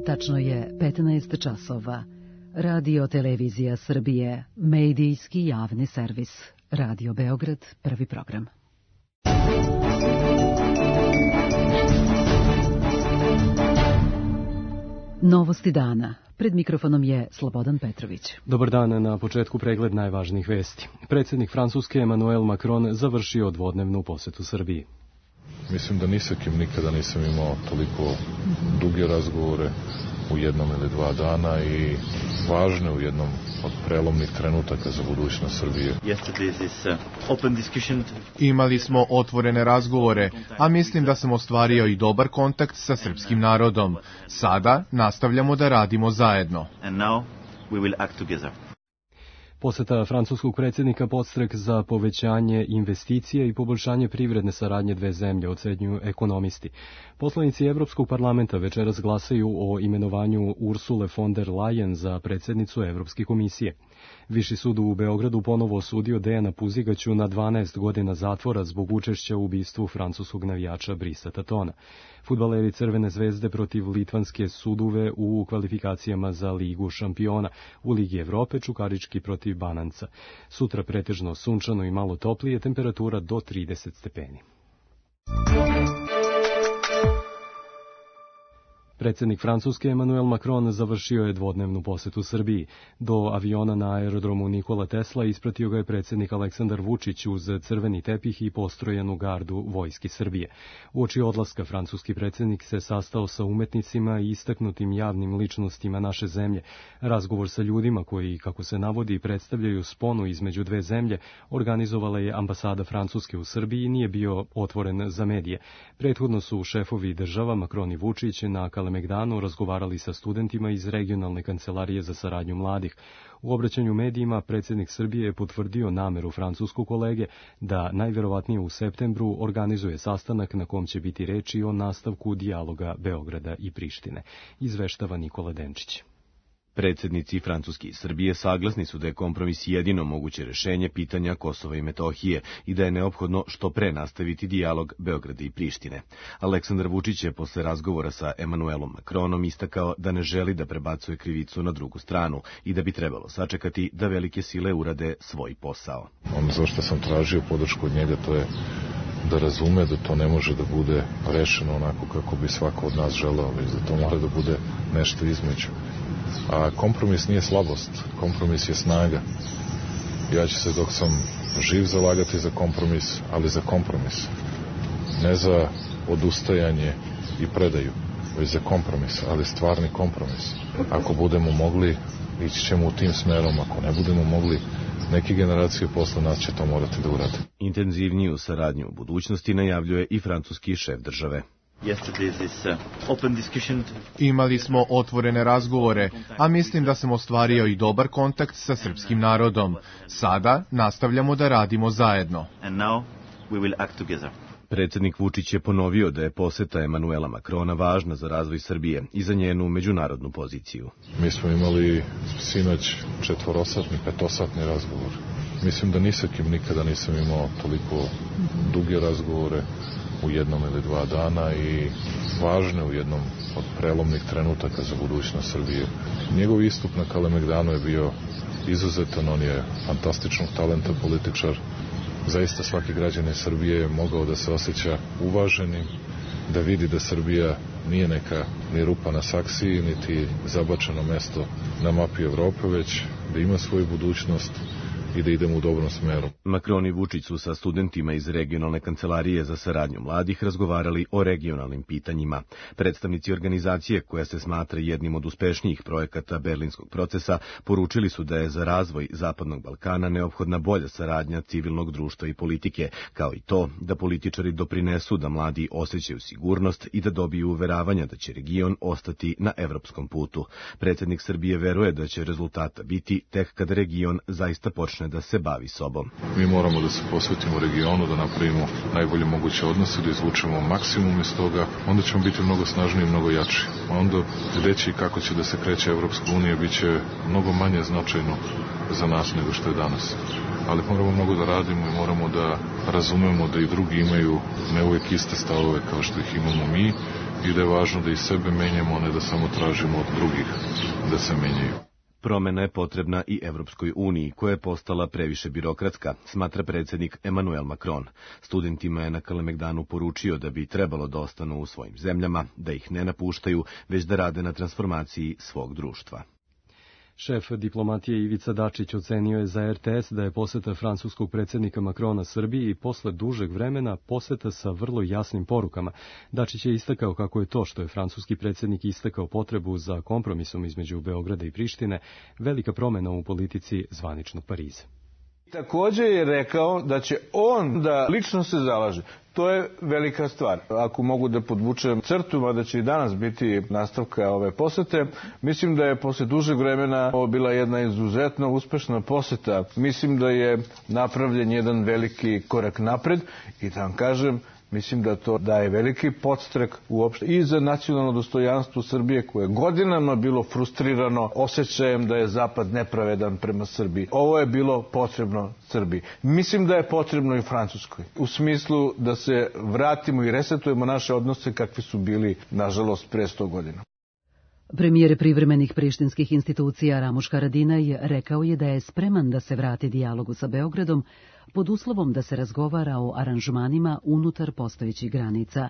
Tačno je 15 časova. Radio Televizija Srbije, medijski javni servis. Radio Beograd, prvi program. Novosti dana. Pred mikrofonom je Slobodan Petrović. Dobar dan, na početku pregled najvažnijih vesti. Predsjednik Francuske Emmanuel Macron završio dvodnevnu posetu Srbiji. Mislim da ni sa kim nikada nisam imao toliko duge razgovore u jednom ili dva dana i važne u jednom od prelomnih trenutaka za budućnost Srbije. Imali smo otvorene razgovore, a mislim da sam ostvario i dobar kontakt sa srpskim narodom. Sada nastavljamo da radimo zajedno. Poseta francuskog predsjednika podstrek za povećanje investicija i poboljšanje privredne saradnje dve zemlje, ocenjuju ekonomisti. Poslanici Evropskog parlamenta večeras glasaju o imenovanju Ursule von der Leyen za predsjednicu Evropske komisije. Viši sud u Beogradu ponovo osudio Dejana Puzigaću na 12 godina zatvora zbog učešća u ubistvu francuskog navijača Brisa Tatona. Fudbaleri Crvene zvezde protiv litvanske Suduve u kvalifikacijama za Ligu šampiona. U Ligi Evrope Čukarički protiv Bananca. Sutra pretežno sunčano i malo toplije, temperatura do 30 stepeni. Predsjednik Francuske Emmanuel Macron završio je dvodnevnu posetu Srbiji. Do aviona na aerodromu Nikola Tesla ispratio ga je predsjednik Aleksandar Vučić uz crveni tepih i postrojenu gardu Vojske Srbije. Uoči odlaska francuski predsjednik se sastao sa umetnicima i istaknutim javnim ličnostima naše zemlje. Razgovor sa ljudima koji, kako se navodi, predstavljaju sponu između dve zemlje, organizovala je ambasada Francuske u Srbiji i nije bio otvoren za medije. Prethodno su šefovi država Macron i Vučić na Kalemegdanu razgovarali sa studentima iz regionalne kancelarije za saradnju mladih. U obraćanju medijima predsjednik Srbije je potvrdio nameru francuskog kolege da najvjerovatnije u septembru organizuje sastanak na kom će biti reči o nastavku dijaloga Beograda i Prištine, izveštava Nikola Denčić. Predsjednici Francuske i Srbije saglasni su da je kompromis jedino moguće rešenje pitanja Kosova i Metohije i da je neophodno što pre nastaviti dijalog Beograda i Prištine. Aleksandar Vučić je posle razgovora sa Emmanuelom Macronom istakao da ne želi da prebacuje krivicu na drugu stranu i da bi trebalo sačekati da velike sile urade svoj posao. Ono zašto sam tražio podršku od njega, to je da razume da to ne može da bude rešeno onako kako bi svako od nas želeo, već da to mora da bude nešto između. A kompromis nije slabost, kompromis je snaga. Ja ću se dok sam živ zalagati za kompromis, ali za kompromis. Ne za odustajanje i predaju, već za kompromis, ali stvarni kompromis. Ako budemo mogli, ići ćemo u tim smerom, ako ne budemo mogli, neke generacije posle nas će to morati da urade. Intenzivniju saradnju u budućnosti najavljuje i francuski šef države. Imali smo otvorene razgovore, a mislim da sam ostvario i dobar kontakt sa srpskim narodom. Sada nastavljamo da radimo zajedno. Predsjednik Vučić je ponovio da je poseta Emmanuela Macrona važna za razvoj Srbije i za njenu međunarodnu poziciju. Mi smo imali sinoć 4-satni, 5-satni razgovor. Mislim da ni sa kim nikada nisam imao toliko duge razgovore u jednom ili dva dana i važne u jednom od prelomnih trenutaka za budućnost Srbije. Njegov istup na Kalemegdanu je bio izuzetan, on je fantastičnog talenta političar. Zaista svaki građanin Srbije je mogao da se osjeća uvaženim, da vidi da Srbija nije neka ni rupa na saksiji, niti zabačeno mesto na mapi Evrope, već da ima svoju budućnost i da idemo u dobrom smeru. Macron i Vučić su sa studentima iz regionalne kancelarije za saradnju mladih razgovarali o regionalnim pitanjima. Predstavnici organizacije, koja se smatra jednim od uspešnijih projekata berlinskog procesa, poručili su da je za razvoj Zapadnog Balkana neophodna bolja saradnja civilnog društva i politike, kao i to da političari doprinesu da mladi osjećaju sigurnost i da dobiju uveravanja da će region ostati na evropskom putu. Predsjednik Srbije veruje da će rezultata biti tek kada region zaista počne da se bavi sobom. Mi moramo da se posvetimo regionu, da napravimo najbolje moguće odnose, da izvučemo maksimum iz toga, onda ćemo biti mnogo snažniji i mnogo jači. Onda reći kako će da se kreće Evropska unija bit će mnogo manje značajno za nas nego što je danas. Ali moramo mnogo da radimo i moramo da razumemo da i drugi imaju ne uvijek iste stavove kao što ih imamo mi i da je važno da i sebe menjamo, a ne da samo tražimo od drugih da se menjaju. Promena je potrebna i Evropskoj uniji, koja je postala previše birokratska, smatra predsjednik Emmanuel Macron. Studentima je na Kalemegdanu poručio da bi trebalo da ostanu u svojim zemljama, da ih ne napuštaju, već da rade na transformaciji svog društva. Šef diplomatije Ivica Dačić ocenio je za RTS da je poseta francuskog predsjednika Macrona Srbiji posle dužeg vremena poseta sa vrlo jasnim porukama. Dačić je istakao kako je to što je francuski predsjednik istakao potrebu za kompromisom između Beograda i Prištine velika promjena u politici zvaničnog Pariza. Također je rekao da će on da lično se zalaže. To je velika stvar. Ako mogu da podvučem crtu, mada će i danas biti nastavka ove posete, mislim da je posle dužeg vremena ovo bila jedna izuzetno uspešna poseta. Mislim da je napravljen jedan veliki korak napred i da vam kažem, mislim da to daje veliki podstrek uopšte i za nacionalno dostojanstvo Srbije, koje je godinama bilo frustrirano osjećajem da je Zapad nepravedan prema Srbiji. Ovo je bilo potrebno Srbiji. Mislim da je potrebno i Francuskoj. U smislu da se vratimo i resetujemo naše odnose kakvi su bili, nažalost, pre 100 godina. Premijer privremenih prištinskih institucija Ramuš Haradinaj rekao je da je spreman da se vrati dijalogu sa Beogradom pod uslovom da se razgovara o aranžmanima unutar postojećih granica.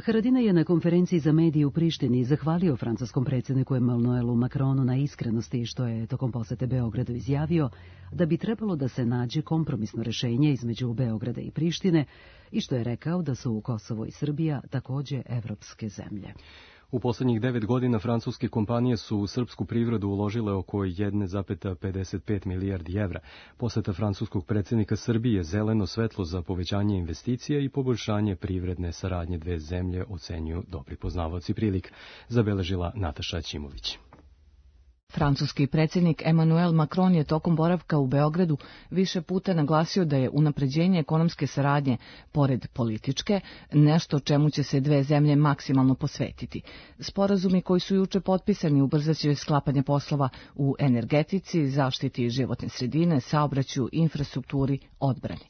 Haradinaj je na konferenciji za medije u Prištini zahvalio francuskom predsjedniku Emmanuelu Macronu na iskrenosti što je tokom posete Beogradu izjavio da bi trebalo da se nađe kompromisno rešenje između Beograda i Prištine i što je rekao da su Kosovo i Srbija također evropske zemlje. U posljednjih 9 godina francuske kompanije su u srpsku privredu uložile oko 1,55 milijardi evra. Poseta francuskog predsjednika Srbije zeleno svetlo za povećanje investicija i poboljšanje privredne saradnje dve zemlje, ocenjuju dobri poznavaoci prilika, zabeležila Nataša Ćimović. Francuski predsjednik Emmanuel Macron je tokom boravka u Beogradu više puta naglasio da je unapređenje ekonomske saradnje, pored političke, nešto čemu će se dve zemlje maksimalno posvetiti. Sporazumi koji su juče potpisani ubrzaće sklapanje poslova u energetici, zaštiti životne sredine, saobraćaju, infrastrukturi, odbrani.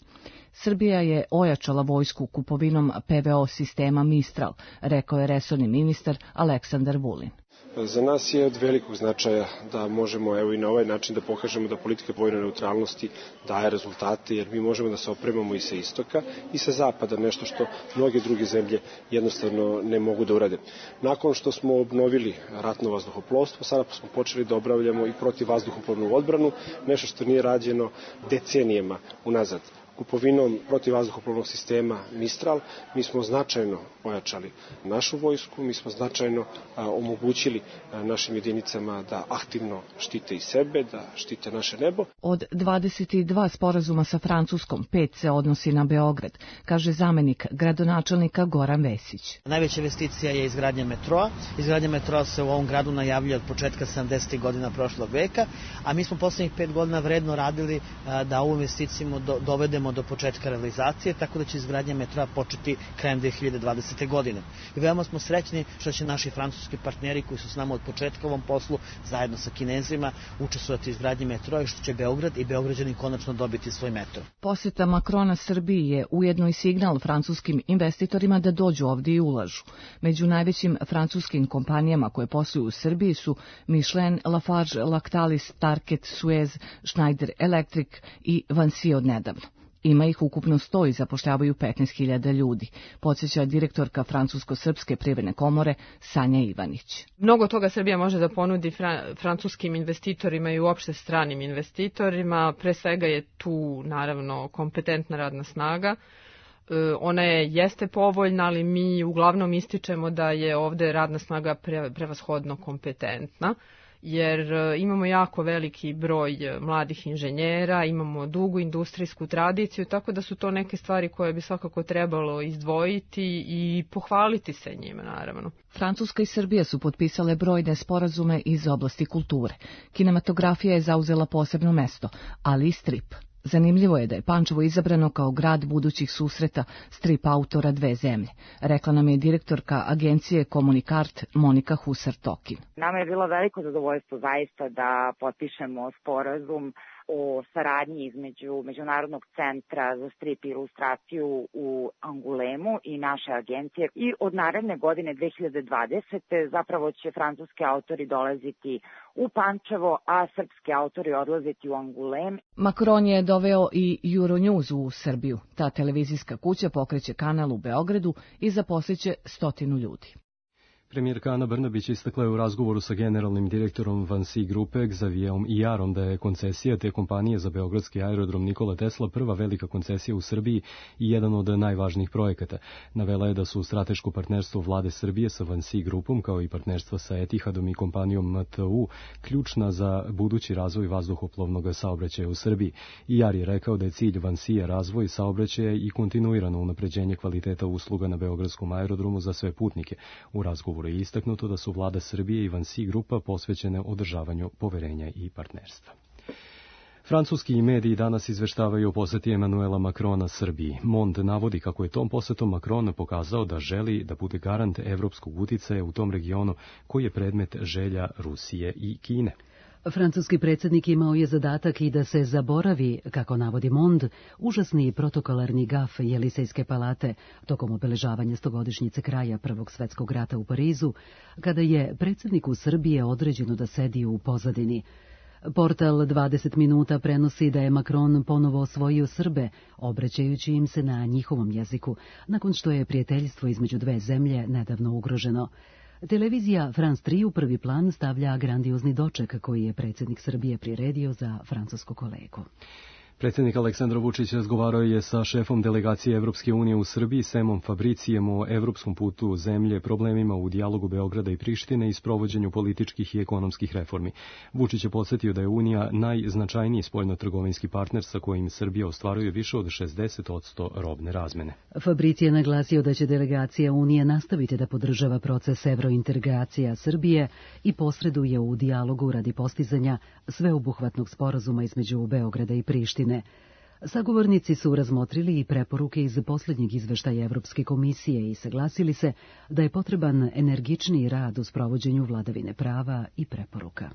Srbija je ojačala vojsku kupovinom PVO sistema Mistral, rekao je resorni ministar Aleksandar Vulin. Za nas je od velikog značaja da možemo i na ovaj način da pokažemo da politika vojne neutralnosti daje rezultate, jer mi možemo da se opremamo i sa istoka i sa zapada, nešto što mnoge druge zemlje jednostavno ne mogu da urade. Nakon što smo obnovili ratno vazduhoplovstvo, sada smo počeli da obavljamo i protivvazduhoplovnu odbranu, nešto što nije rađeno decenijama unazad. Kupovinom protivvazduhoplovnog sistema Mistral mi smo značajno ojačali našu vojsku, mi smo značajno omogućili našim jedinicama da aktivno štite i sebe, da štite naše nebo. Od 22 sporazuma sa Francuskom, 5 se odnosi na Beograd, kaže zamenik gradonačelnika Goran Vesić. Najveća investicija je izgradnja metroa. Izgradnja metroa se u ovom gradu najavljuje od početka 70. godina prošlog veka, a mi smo poslednjih 5 godina vredno radili da ovu investiciju dovedemo do početka realizacije, tako da će izgradnja metroa početi krajem 2020. godine. I veoma smo srećni što će naši francuski partneri koji su s nama od početka u ovom poslu, zajedno sa Kinezima, učestvovati u izgradnji metroa i što će Beograd i Beograđani konačno dobiti svoj metro. Poseta Macrona Srbiji je ujedno i signal francuskim investitorima da dođu ovdje i ulažu. Među najvećim francuskim kompanijama koje posluju u Srbiji su Michelin, Lafarge, Lactalis, Target, Suez, Schneider Electric i Vinci od nedavno. Ima ih ukupno 100 i zapošljavaju 15.000 ljudi, podsjeća direktorka Francusko-srpske privredne komore Sanja Ivanić. Mnogo toga Srbija može da ponudi francuskim investitorima i uopšte stranim investitorima. Pre svega je tu naravno kompetentna radna snaga. Ona jeste povoljna, ali mi uglavnom ističemo da je ovde radna snaga prevashodno kompetentna, jer imamo jako veliki broj mladih inženjera, imamo dugu industrijsku tradiciju, tako da su to neke stvari koje bi svakako trebalo izdvojiti i pohvaliti se njima, naravno. Francuska i Srbija su potpisale brojne sporazume iz oblasti kulture. Kinematografija je zauzela posebno mesto, ali i strip. Zanimljivo je da je Pančevo izabrano kao grad budućih susreta strip autora dve zemlje, rekla nam je direktorka agencije Komunikart Monika Husar-Tokin. Nama je bilo veliko zadovoljstvo zaista da potpišemo sporazum o saradnji između Međunarodnog centra za strip i ilustraciju u Angulemu i naše agencije. I od naredne godine 2020. zapravo će francuski autori dolaziti u Pančevo, a srpski autori odlaziti u Angulem. Macron je doveo i Euronews u Srbiju. Ta televizijska kuća pokreće kanal u Beogradu i zaposliće 100 ljudi. Premijerka Ana Brnabić istakla je u razgovoru sa generalnim direktorom Vansi grupe Xavierom Ijarom da je koncesija te kompanije za beogradski aerodrom Nikola Tesla prva velika koncesija u Srbiji i jedan od najvažnijih projekata. Navela je da su strateško partnerstvo vlade Srbije sa Vansi grupom kao i partnerstva sa Etihadom i kompanijom MTU ključna za budući razvoj vazduhoplovnog saobraćaja u Srbiji. Ijar je rekao da je cilj Vansija razvoj saobraćaja i kontinuirano unapređenje kvaliteta usluga na beogradskom aerodromu za sve putnike. U razgovoru je istaknuto da su vlada Srbije i Vansi grupa posvećene održavanju poverenja i partnerstva. Francuski mediji danas izveštavaju o poseti Emanuela Macrona Srbiji. Monde navodi kako je tom posetom Macron pokazao da želi da bude garant evropskog uticaja u tom regionu koji je predmet želja Rusije i Kine. Francuski predsjednik imao je zadatak i da se zaboravi, kako navodi Monde, užasni protokolarni gaf Jelisejske palate tokom obeležavanja 100-godišnjice kraja Prvog svjetskog rata u Parizu, kada je predsjedniku Srbije određeno da sedi u pozadini. Portal 20 minuta prenosi da je Macron ponovo osvojio Srbe, obraćajući im se na njihovom jeziku, nakon što je prijateljstvo između dve zemlje nedavno ugroženo. Televizija France 3 u prvi plan stavlja grandiozni doček koji je predsjednik Srbije priredio za francusku kolegu. Predsjednik Aleksandar Vučić razgovarao je sa šefom delegacije Evropske unije u Srbiji, Semom Fabricijem, o evropskom putu zemlje, problemima u dijalogu Beograda i Prištine i sprovođenju političkih i ekonomskih reformi. Vučić je podsjetio da je Unija najznačajniji spoljno-trgovinski partner sa kojim Srbija ostvaruje više od 60% robne razmene. Fabrici je naglasio da će delegacija Unije nastaviti da podržava proces evrointegracija Srbije i posreduje u dijalogu radi postizanja sveobuhvatnog sporazuma između Beograda i Prištine. Sagovornici su razmotrili i preporuke iz posljednjeg izveštaja Evropske komisije i saglasili se da je potreban energičniji rad u sprovođenju vladavine prava i preporuka.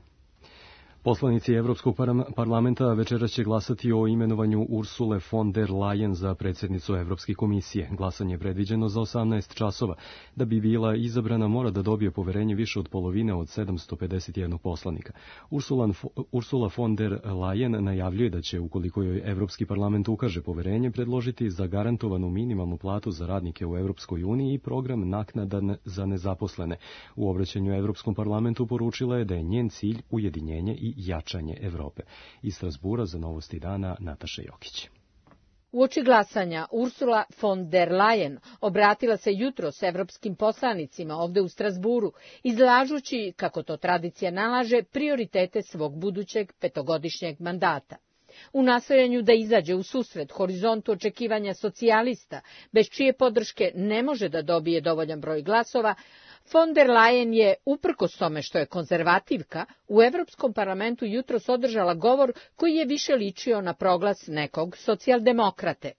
Poslanici Evropskog parlamenta večeras će glasati o imenovanju Ursule von der Leyen za predsjednicu Evropske komisije. Glasanje je predviđeno za 18 časova. Da bi bila izabrana, mora da dobije poverenje više od polovine od 751 poslanika. Ursula von der Leyen najavljuje da će, ukoliko joj Evropski parlament ukaže poverenje, predložiti zagarantovanu minimalnu platu za radnike u Evropskoj uniji i program naknada za nezaposlene. U obraćanju Evropskom parlamentu poručila je da je njen cilj ujedinjenje i jačanje Evrope. Iz Strasbura za Novosti dana Nataša Jokić. Uoči glasanja Ursula von der Leyen obratila se jutros evropskim poslanicima ovde u Strasburu, izlažući, kako to tradicija nalaže, prioritete svog budućeg petogodišnjeg mandata. U nastojanju da izađe u susret horizontu očekivanja socijalista, bez čije podrške ne može da dobije dovoljan broj glasova, von der Leyen je, uprkos tome što je konzervativka, u Evropskom parlamentu jutros održala govor koji je više ličio na proglas nekog socijaldemokrate.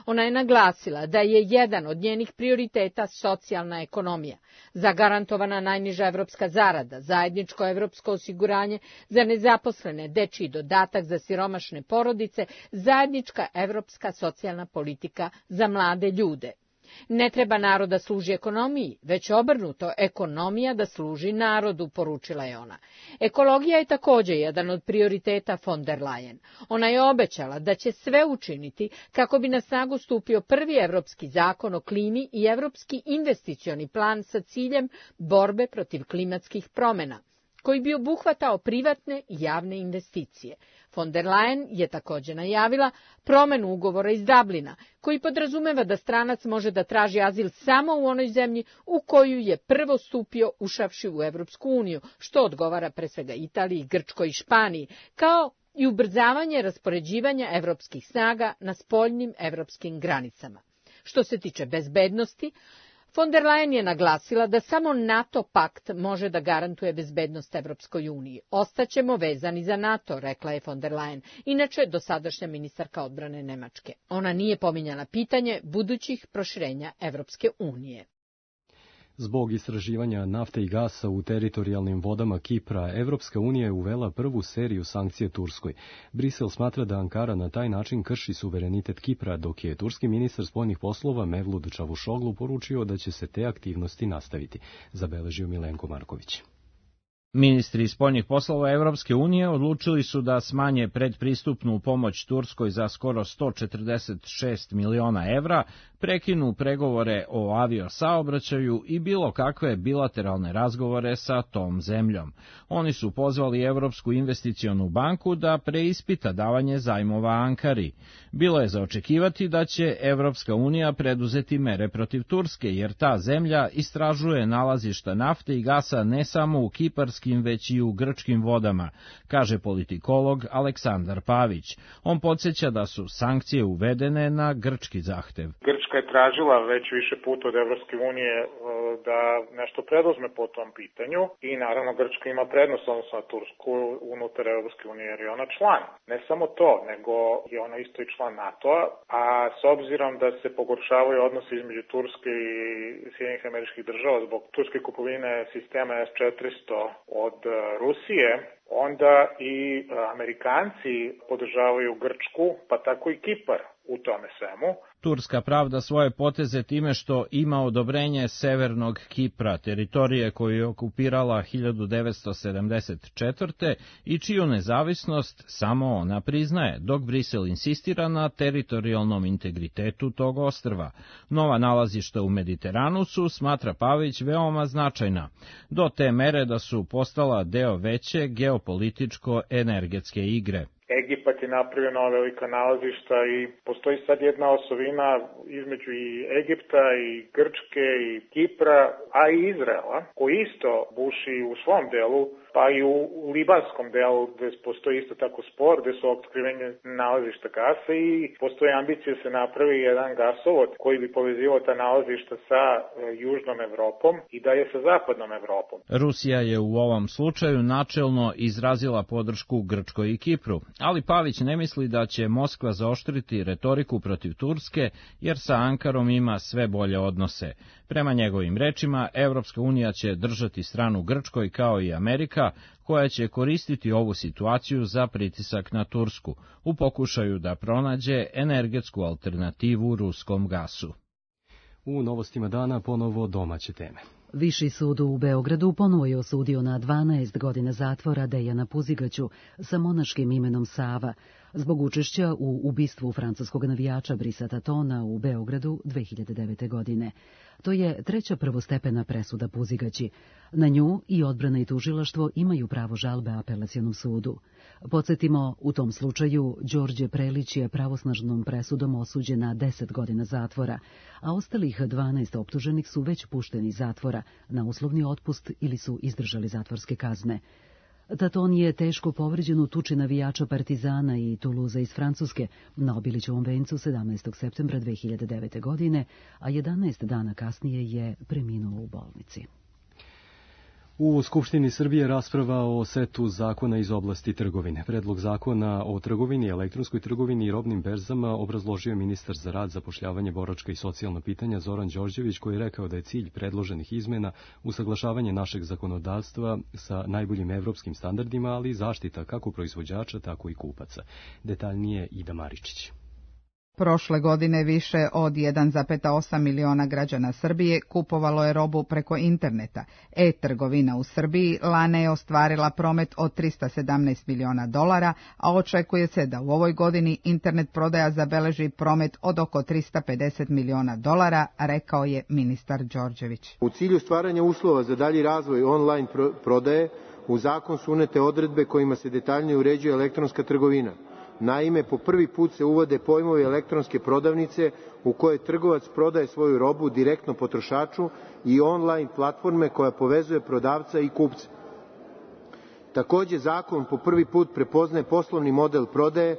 Ona je naglasila da je jedan od njenih prioriteta socijalna ekonomija, zagarantovana najniža evropska zarada, zajedničko evropsko osiguranje za nezaposlene, dečiji dodatak za siromašne porodice, zajednička evropska socijalna politika za mlade ljude. Ne treba narod da služi ekonomiji, već obrnuto, ekonomija da služi narodu, poručila je ona. Ekologija je također jedan od prioriteta von der Leyen. Ona je obećala da će sve učiniti kako bi na snagu stupio prvi evropski zakon o klimi i evropski investicioni plan sa ciljem borbe protiv klimatskih promjena, koji bi obuhvatao privatne i javne investicije. Von der Leyen je također najavila promjenu ugovora iz Dublina, koji podrazumeva da stranac može da traži azil samo u onoj zemlji u koju je prvo stupio ušavši u Evropsku uniju, što odgovara pre svega Italiji, Grčkoj i Španiji, kao i ubrzavanje raspoređivanja evropskih snaga na spoljnim evropskim granicama. Što se tiče bezbednosti, von der Leyen je naglasila da samo NATO pakt može da garantuje bezbednost Evropskoj uniji. Ostaćemo vezani za NATO, rekla je von der Leyen, inače dosadašnja ministarka odbrane Nemačke. Ona nije pominjala pitanje budućih proširenja Evropske unije. Zbog istraživanja nafte i gasa u teritorijalnim vodama Kipra, Evropska unija je uvela prvu seriju sankcija Turskoj. Brisel smatra da Ankara na taj način krši suverenitet Kipra, dok je turski ministar spoljnih poslova Mevlut Čavuşoglu poručio da će se te aktivnosti nastaviti, zabeležio Milenko Marković. Ministri spoljnih poslova Evropske unije odlučili su da smanje predpristupnu pomoć Turskoj za skoro 146 miliona evra, prekinu pregovore o aviosaobraćaju i bilo kakve bilateralne razgovore sa tom zemljom. Oni su pozvali Evropsku investicionu banku da preispita davanje zajmova Ankari. Bilo je za očekivati da će Evropska unija preduzeti mere protiv Turske, jer ta zemlja istražuje nalazišta nafte i gasa ne samo u kiparskim, već i u grčkim vodama, kaže politikolog Aleksandar Pavić. On podsjeća da su sankcije uvedene na grčki zahtev. Grčka je tražila već više puta od Evropske unije da nešto preduzme po tom pitanju i naravno Grčka ima prednost odnosno na Tursku unutar Evropske unije jer je ona član. Ne samo to, nego je ona isto i član NATO-a, a s obzirom da se pogoršavaju odnosi između Turske i Sjedinjenih Američkih Država zbog turske kupovine sistema S-400 od Rusije, onda i Amerikanci podržavaju Grčku, pa tako i Kipar u tome svemu. Turska pravda svoje poteze time što ima odobrenje Severnog Kipra, teritorije koju je okupirala 1974. i čiju nezavisnost samo ona priznaje, dok Brisel insistira na teritorijalnom integritetu tog ostrva. Nova nalazišta u Mediteranu su, smatra Pavić, veoma značajna, do te mere da su postala deo veće geopolitičko-energetske igre. Egipat je napravio nova velika nalazišta i postoji sad jedna osovina između i Egipta i Grčke i Kipra, a i Izraela, koji isto buši u svom delu, pa i u libanskom delu gde postoji isto tako spor, gde su otkrivene nalazišta gasa i postoji ambicija da se napravi jedan gasovod koji bi povezivao ta nalazišta sa južnom Evropom i dalje sa zapadnom Evropom. Rusija je u ovom slučaju načelno izrazila podršku Grčkoj i Kipru, ali Pavić ne misli da će Moskva zaoštriti retoriku protiv Turske, jer sa Ankarom ima sve bolje odnose. Prema njegovim rečima, Evropska unija će držati stranu Grčkoj kao i Amerika, koja će koristiti ovu situaciju za pritisak na Tursku, u pokušaju da pronađe energetsku alternativu ruskom gasu. U novostima dana ponovo domaće teme. Viši sud u Beogradu ponovo je osudio na 12 godina zatvora Dejana Puzigaću sa monaškim imenom Sava zbog učešća u ubistvu francuskog navijača Brisa Tatona u Beogradu 2009. godine. To je treća prvostepena presuda Puzigaći. Na nju i odbrana i tužilaštvo imaju pravo žalbe apelacionom sudu. Podsjetimo, u tom slučaju Đorđe Prelić je pravosnažnom presudom osuđen na 10 godina zatvora, a ostalih 12 optuženih su već pušteni iz zatvora na uslovni otpust ili su izdržali zatvorske kazne. Taton je teško povređen u tuči navijača Partizana i Tuluza iz Francuske na Obilićevom vencu 17. septembra 2009. godine, a 11 dana kasnije je preminuo u bolnici. U Skupštini Srbije rasprava o setu zakona iz oblasti trgovine. Predlog zakona o trgovini, elektronskoj trgovini i robnim berzama obrazložio ministar za rad, zapošljavanje, boračka i socijalna pitanja Zoran Đorđević, koji je rekao da je cilj predloženih izmena usaglašavanje našeg zakonodavstva sa najboljim evropskim standardima, ali i zaštita kako proizvođača, tako i kupaca. Detaljnije Ida Maričić. Prošle godine više od 1,8 miliona građana Srbije kupovalo je robu preko interneta. E-trgovina u Srbiji lane je ostvarila promet od $317 miliona, a očekuje se da u ovoj godini internet prodaja zabeleži promet od oko $350 miliona, rekao je ministar Đorđević. U cilju stvaranja uslova za dalji razvoj online prodaje, u zakon su unete odredbe kojima se detaljnije uređuje elektronska trgovina. Naime, po prvi put se uvode pojmovi elektronske prodavnice u kojoj trgovac prodaje svoju robu direktno potrošaču i online platforme koja povezuje prodavca i kupca. Takođe, zakon po prvi put prepoznaje poslovni model prodaje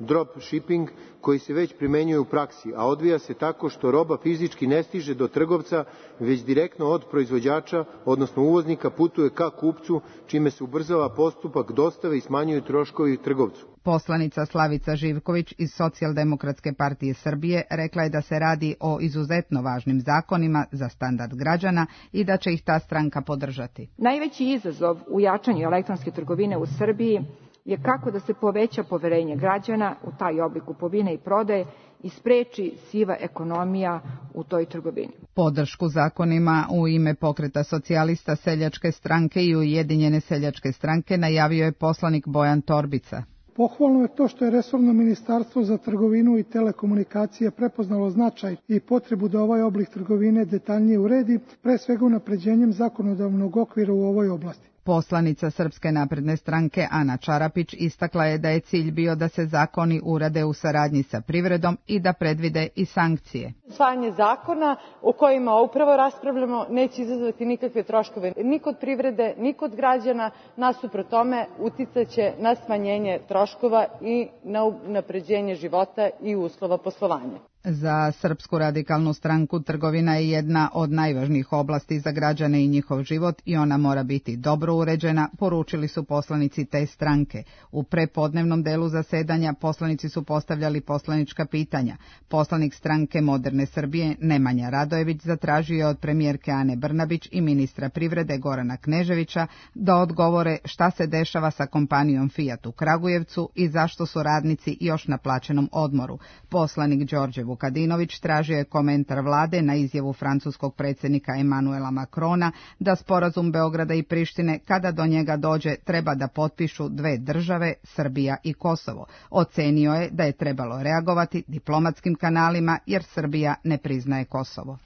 drop shipping, koji se već primenjuje u praksi, a odvija se tako što roba fizički ne stiže do trgovca, već direktno od proizvođača, odnosno uvoznika, putuje ka kupcu, čime se ubrzava postupak dostave i smanjuju troškovi trgovcu. Poslanica Slavica Živković iz Socijaldemokratske partije Srbije rekla je da se radi o izuzetno važnim zakonima za standard građana i da će ih ta stranka podržati. Najveći izazov u jačanju elektronske trgovine u Srbiji je kako da se poveća poverenje građana u taj oblik kupovine i prodaje i spreči siva ekonomija u toj trgovini. Podršku zakonima u ime Pokreta socijalista, Seljačke stranke i Ujedinjene seljačke stranke najavio je poslanik Bojan Torbica. Pohvalno je to što je resorno ministarstvo za trgovinu i telekomunikacije prepoznalo značaj i potrebu da ovaj oblik trgovine detaljnije uredi, pre svega unapređenjem zakonodavnog okvira u ovoj oblasti. Poslanica Srpske napredne stranke Ana Čarapić istakla je da je cilj bio da se zakoni urade u saradnji sa privredom i da predvide i sankcije. Usvajanje zakona o kojima upravo raspravljamo neće izazvati nikakve troškove ni kod privrede, ni kod građana, nasuprot tome uticaće na smanjenje troškova i na unapređenje života i uslova poslovanja. Za Srpsku radikalnu stranku trgovina je jedna od najvažnijih oblasti za građane i njihov život i ona mora biti dobro uređena, poručili su poslanici te stranke. U prepodnevnom delu zasedanja poslanici su postavljali poslanička pitanja. Poslanik stranke Moderne Srbije Nemanja Radojević zatražio je od premijerke Ane Brnabić i ministra privrede Gorana Kneževića da odgovore šta se dešava sa kompanijom Fiat u Kragujevcu i zašto su radnici još na plaćenom odmoru. Poslanik Đorđe Vukadinović tražio je komentar vlade na izjavu francuskog predsjednika Emanuela Macrona da sporazum Beograda i Prištine, kada do njega dođe, treba da potpišu dve države, Srbija i Kosovo. Ocenio je da je trebalo reagovati diplomatskim kanalima jer Srbija ne priznaje Kosovo.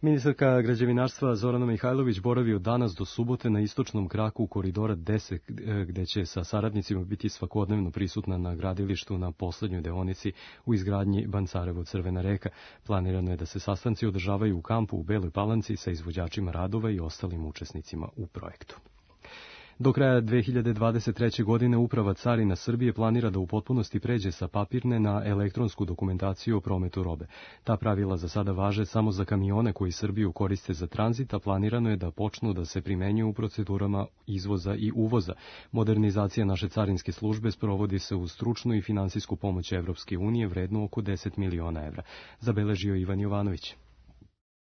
Ministarka građevinarstva Zorana Mihajlović boravi od danas do subote na istočnom kraku koridora 10, gde će sa saradnicima biti svakodnevno prisutna na gradilištu na poslednjoj deonici u izgradnji Bancarevo-Crvena reka. Planirano je da se sastanci održavaju u kampu u Beloj Palanci sa izvođačima radova i ostalim učesnicima u projektu. Do kraja 2023. godine Uprava carina Srbije planira da u potpunosti pređe sa papirne na elektronsku dokumentaciju o prometu robe. Ta pravila za sada važe samo za kamione koji Srbiju koriste za tranzit, a planirano je da počnu da se primenjuju u procedurama izvoza i uvoza. Modernizacija naše carinske službe sprovodi se uz stručnu i finansijsku pomoć Evropske unije vrednu oko 10 miliona evra, zabeležio Ivan Jovanović.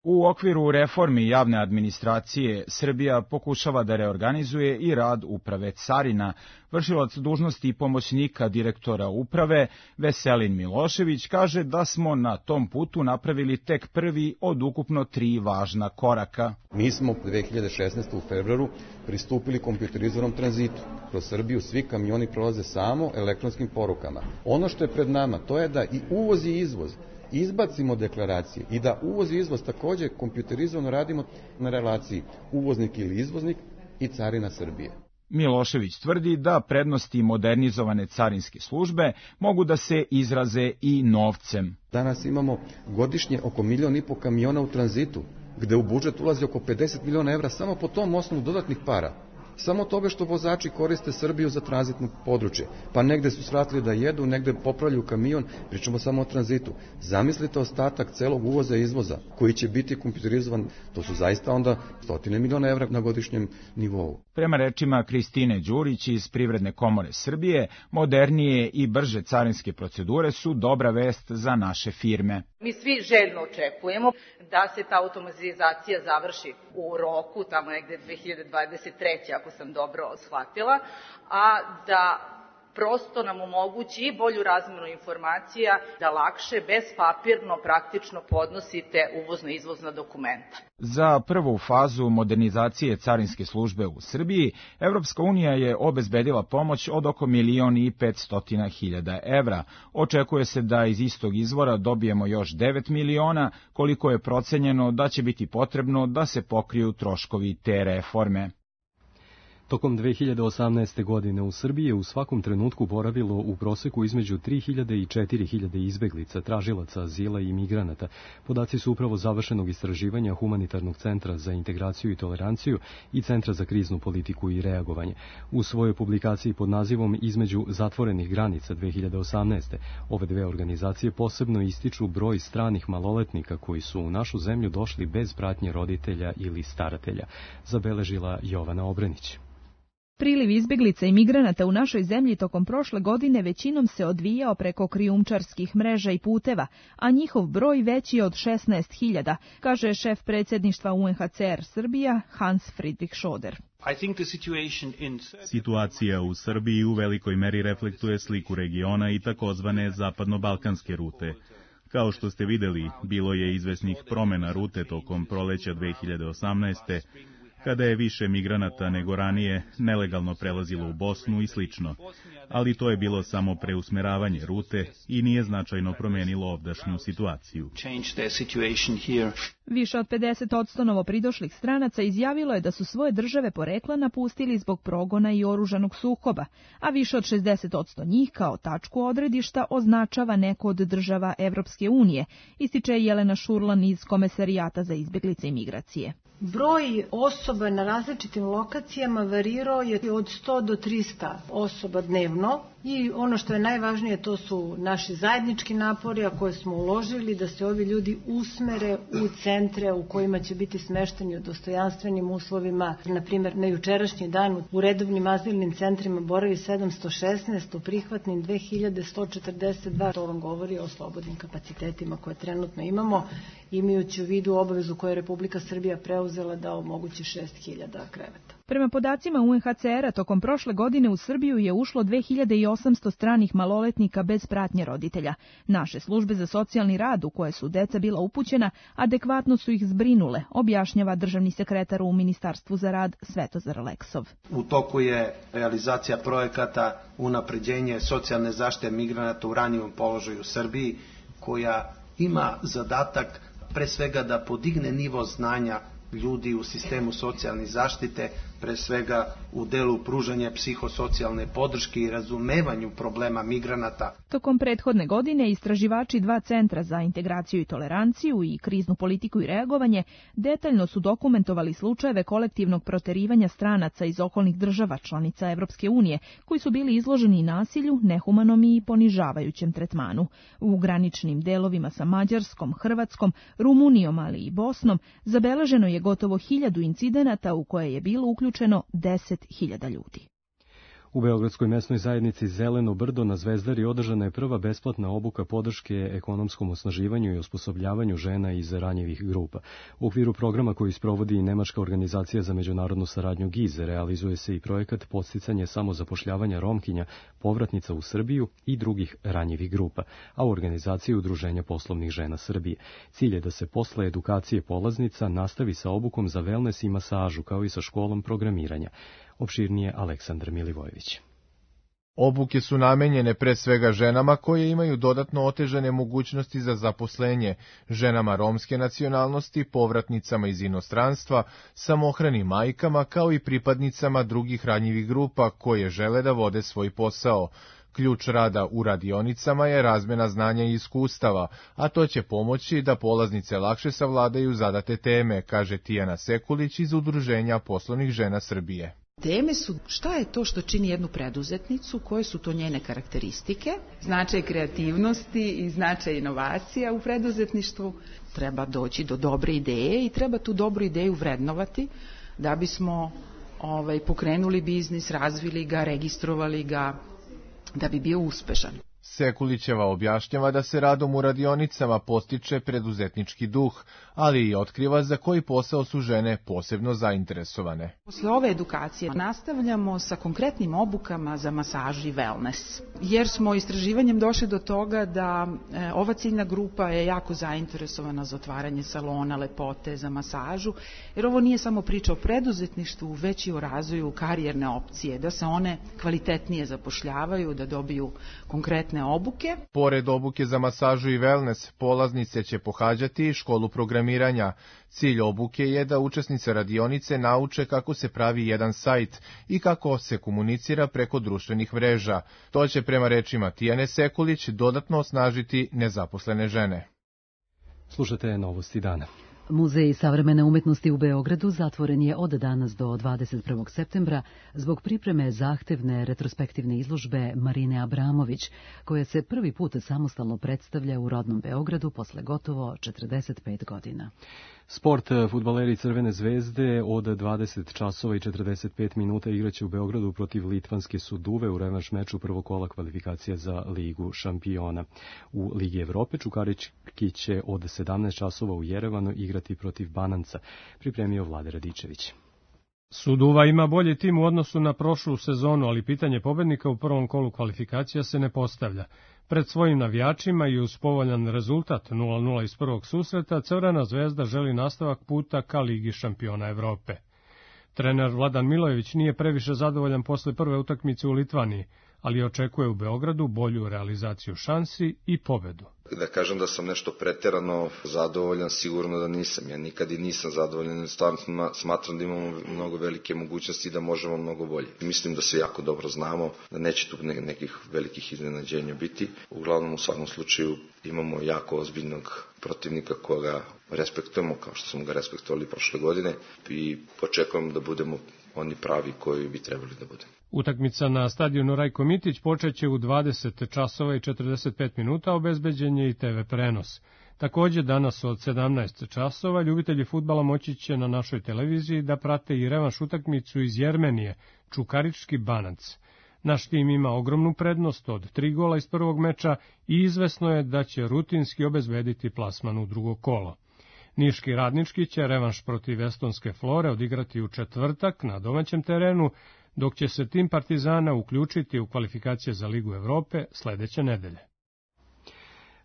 U okviru reformi javne administracije, Srbija pokušava da reorganizuje i rad uprave carina. Vršilac dužnosti pomoćnika direktora uprave, Veselin Milošević, kaže da smo na tom putu napravili tek prvi od ukupno 3 važna koraka. Mi smo 2016. u februaru pristupili kompjuterizovanom tranzitu. Kroz Srbiju svi kamioni prolaze samo elektronskim porukama. Ono što je pred nama, to je da i uvoz i izvoz izbacimo deklaracije i da uvoz i izvoz takođe kompjuterizovano radimo na relaciji uvoznik ili izvoznik i carina Srbije. Milošević tvrdi da prednosti modernizovane carinske službe mogu da se izraze i novcem. Danas imamo godišnje oko 1,5 miliona kamiona u tranzitu, gde u budžet ulazi oko 50 miliona evra samo po tom osnovu dodatnih para. Samo toga što vozači koriste Srbiju za tranzitno područje, pa negde su svratili da jedu, negde popravljaju kamion, pričamo samo o tranzitu. Zamislite ostatak celog uvoza i izvoza koji će biti kompjuterizovan, to su zaista onda 100 miliona evra na godišnjem nivou. Prema rečima Kristine Đurić iz Privredne komore Srbije, modernije i brže carinske procedure su dobra vest za naše firme. Mi svi željno očekujemo da se ta automatizacija završi u roku, tamo negde 2023. ako sam dobro shvatila, a da prosto nam omogući i bolju razmenu informacija, da lakše, bez papirno, praktično podnosite uvozno-izvozna dokumenta. Za prvu fazu modernizacije carinske službe u Srbiji, Evropska unija je obezbedila pomoć od oko 1.500.000 evra. Očekuje se da iz istog izvora dobijemo još 9 miliona, koliko je procenjeno da će biti potrebno da se pokriju troškovi te reforme. Tokom 2018. godine u Srbiji je u svakom trenutku boravilo u proseku između 3000 i 4000 izbeglica, tražilaca azila i migranata. Podaci su upravo završenog istraživanja Humanitarnog centra za integraciju i toleranciju i Centra za kriznu politiku i reagovanje. U svojoj publikaciji pod nazivom Između zatvorenih granica 2018. ove dve organizacije posebno ističu broj stranih maloletnika koji su u našu zemlju došli bez pratnje roditelja ili staratelja, zabeležila Jovana Obrenić. Priliv izbeglica i migranata u našoj zemlji tokom prošle godine većinom se odvijao preko krijumčarskih mreža i puteva, a njihov broj veći od 16.000, kaže šef predsjedništva UNHCR Srbija Hans Friedrich Schoder. Situacija u Srbiji u velikoj meri reflektuje sliku regiona i takozvane zapadno-balkanske rute. Kao što ste videli, bilo je izvesnih promjena rute tokom proleća 2018. kada je više migranata nego ranije nelegalno prelazilo u Bosnu i slično, ali to je bilo samo preusmeravanje rute i nije značajno promijenilo ovdašnju situaciju. Više od 50% novopridošlih stranaca izjavilo je da su svoje države porekla napustili zbog progona i oružanog sukoba, a više od 60% njih kao tačku odredišta označava neko od država Evropske unije, ističe Jelena Šurlan iz Komesarijata za izbjeglice i migracije. Broj osoba na različitim lokacijama varirao je od 100 do 300 osoba dnevno i ono što je najvažnije to su naši zajednički napori a koje smo uložili da se ovi ljudi usmere u centre u kojima će biti smešteni u dostojanstvenim uslovima. Na primjer, na jučerašnji dan u redovnim azilnim centrima boravi 716, u prihvatnim 2142. To vam govori o slobodnim kapacitetima koje trenutno imamo, imajući u vidu obavezu koju je Republika Srbija preuzela da omogući 6000 kreveta. Prema podacima UNHCR-a, tokom prošle godine u Srbiju je ušlo 2800 stranih maloletnika bez pratnje roditelja. Naše službe za socijalni rad u koje su deca bila upućena adekvatno su ih zbrinule, objašnjava državni sekretar u Ministarstvu za rad Svetozar Leksov. U toku je realizacija projekata unapređenje socijalne zaštite migranata u ranijem položaju u Srbiji, koja ima zadatak pre svega da podigne nivo znanja ljudi u sistemu socijalne zaštite, pre svega u delu pružanja psihosocijalne podrške i razumevanju problema migranata. Tokom prethodne godine istraživači dva centra za integraciju i toleranciju i kriznu politiku i reagovanje detaljno su dokumentovali slučajeve kolektivnog proterivanja stranaca iz okolnih država članica Evropske unije, koji su bili izloženi nasilju, nehumanom i ponižavajućem tretmanu. U graničnim delovima sa Mađarskom, Hrvatskom, Rumunijom, ali i Bosnom zabeleženo je gotovo 1000 incidenata u koje je bilo uključeno 10.000 ljudi. U Beogradskoj mesnoj zajednici Zeleno brdo na Zvezdari održana je prva besplatna obuka podrške ekonomskom osnaživanju i osposobljavanju žena iz ranjivih grupa. U okviru programa koji sprovodi Nemačka organizacija za međunarodnu saradnju GIZ realizuje se i projekat podsticanje samozapošljavanja Romkinja, povratnica u Srbiju i drugih ranjivih grupa, a u organizaciji Udruženja poslovnih žena Srbije. Cilj je da se posle edukacije polaznica nastavi sa obukom za wellness i masažu, kao i sa školom programiranja. Opširnije Aleksandar Milivojević. Obuke su namenjene pre svega ženama koje imaju dodatno otežane mogućnosti za zaposlenje, ženama romske nacionalnosti, povratnicama iz inostranstva, samohranim majkama kao i pripadnicama drugih ranjivih grupa koje žele da vode svoj posao. Ključ rada u radionicama je razmena znanja i iskustava, a to će pomoći da polaznice lakše savladaju zadate teme, kaže Tijana Sekulić iz Udruženja poslovnih žena Srbije. Teme su šta je to što čini jednu preduzetnicu, koje su to njene karakteristike, značaj kreativnosti i značaj inovacija u preduzetništvu. Treba doći do dobre ideje i treba tu dobru ideju vrednovati da bismo pokrenuli biznis, razvili ga, registrovali ga, da bi bio uspešan. Sekulićeva objašnjava da se radom u radionicama postiče preduzetnički duh, ali i otkriva za koji posao su žene posebno zainteresovane. Posle ove edukacije nastavljamo sa konkretnim obukama za masažu i wellness, jer smo istraživanjem došli do toga da ova ciljna grupa je jako zainteresovana za otvaranje salona lepote, za masažu, jer ovo nije samo priča o preduzetništvu, već i o razvoju karijerne opcije, da se one kvalitetnije zapošljavaju, da dobiju konkretne dodatne obuke. Pored obuke za masažu i wellness, polaznice će pohađati školu programiranja. Cilj obuke je da učesnice radionice nauče kako se pravi jedan sajt i kako se komunicira preko društvenih mreža. To će prema rečima Tijane Sekulić dodatno osnažiti nezaposlene žene. Slušate Novosti dana. Muzej savremene umetnosti u Beogradu zatvoren je od danas do 21. septembra zbog pripreme zahtevne retrospektivne izložbe Marine Abramović, koja se prvi put samostalno predstavlja u rodnom Beogradu posle gotovo 45 godina. Sport, fudbaleri Crvene zvezde od 20 časova i 45 minuta igraće u Beogradu protiv litvanske Suduve u revanš meču prvog kola kvalifikacija za Ligu šampiona. U Ligi Evrope Čukarički će od 17 časova u Jerevanu igrati protiv Bananca, pripremio Vlade Radičević. Suduva ima bolji tim u odnosu na prošlu sezonu, ali pitanje pobednika u prvom kolu kvalifikacija se ne postavlja. Pred svojim navijačima i uz povoljan rezultat 0-0 iz prvog susreta, Crvena zvezda želi nastavak puta ka Ligi šampiona Evrope. Trener Vladan Milojević nije previše zadovoljan posle prve utakmice u Litvaniji, ali očekuje u Beogradu bolju realizaciju šansi i pobedu. Da kažem da sam nešto preterano zadovoljan, sigurno da nisam. Ja nikad i nisam zadovoljan, stvarno smatram da imamo mnogo velike mogućnosti i da možemo mnogo bolje. Mislim da se jako dobro znamo, da neće tu nekih velikih iznenađenja biti. Uglavnom, u svakom slučaju, imamo jako ozbiljnog protivnika koga respektujemo, kao što smo ga respektovali prošle godine, i očekujemo da budemo oni pravi koji bi trebali da budemo. Utakmica na stadionu Rajko Mitić počeće u 20 časova i 45 minuta, obezbeđen je i TV prenos. Takođe, danas od 17 časova ljubitelji fudbala moći će na našoj televiziji da prate i revanš utakmicu iz Jermenije, Čukarički Bananc. Naš tim ima ogromnu prednost od 3 gola iz prvog meča i izvesno je da će rutinski obezbediti plasman u drugo kolo. Niški Radnički će revanš protiv estonske Flore odigrati u četvrtak na domaćem terenu, dok će se tim Partizana uključiti u kvalifikacije za Ligu Evrope sledeće nedelje.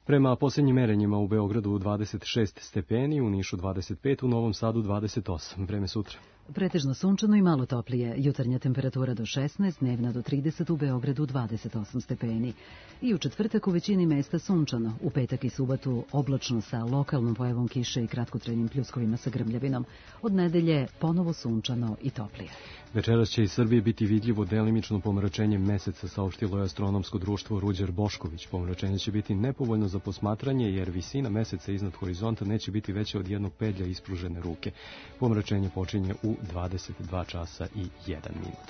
Prema posljednjim merenjima u Beogradu 26 stepeni, u Nišu 25, u Novom Sadu 28. Vreme sutra. Pretežno sunčano i malo toplije. Jutarnja temperatura do 16, dnevna do 30, u Beogradu 28 stepeni. I u četvrtak u većini mesta sunčano. U petak i subotu oblačno sa lokalnom pojavom kiše i kratkotrajnim pljuskovima sa grmljavinom. Od nedelje ponovo sunčano i toplije. Večeras će iz Srbije biti vidljivo delimično pomračenje meseca, saopštilo je astronomsko društvo Ruđer Bošković. Pomračenje će biti nepovoljno za posmatranje jer visina meseca iznad horizonta neće biti veća od jednog pedlja ispružene ruke. Pomračenje počinje u 22 časa i 1 minut.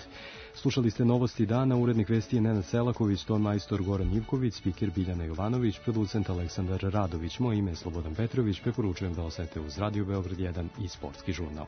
Slušali ste Novosti dana, urednik vesti je Nenad Selaković, ton majstor Goran Ivković, spiker Biljana Jovanović, producent Aleksandar Radović. Moje ime je Slobodan Petrović, preporučujem da ostanete uz Radio Beograd 1 i Sportski žurnal.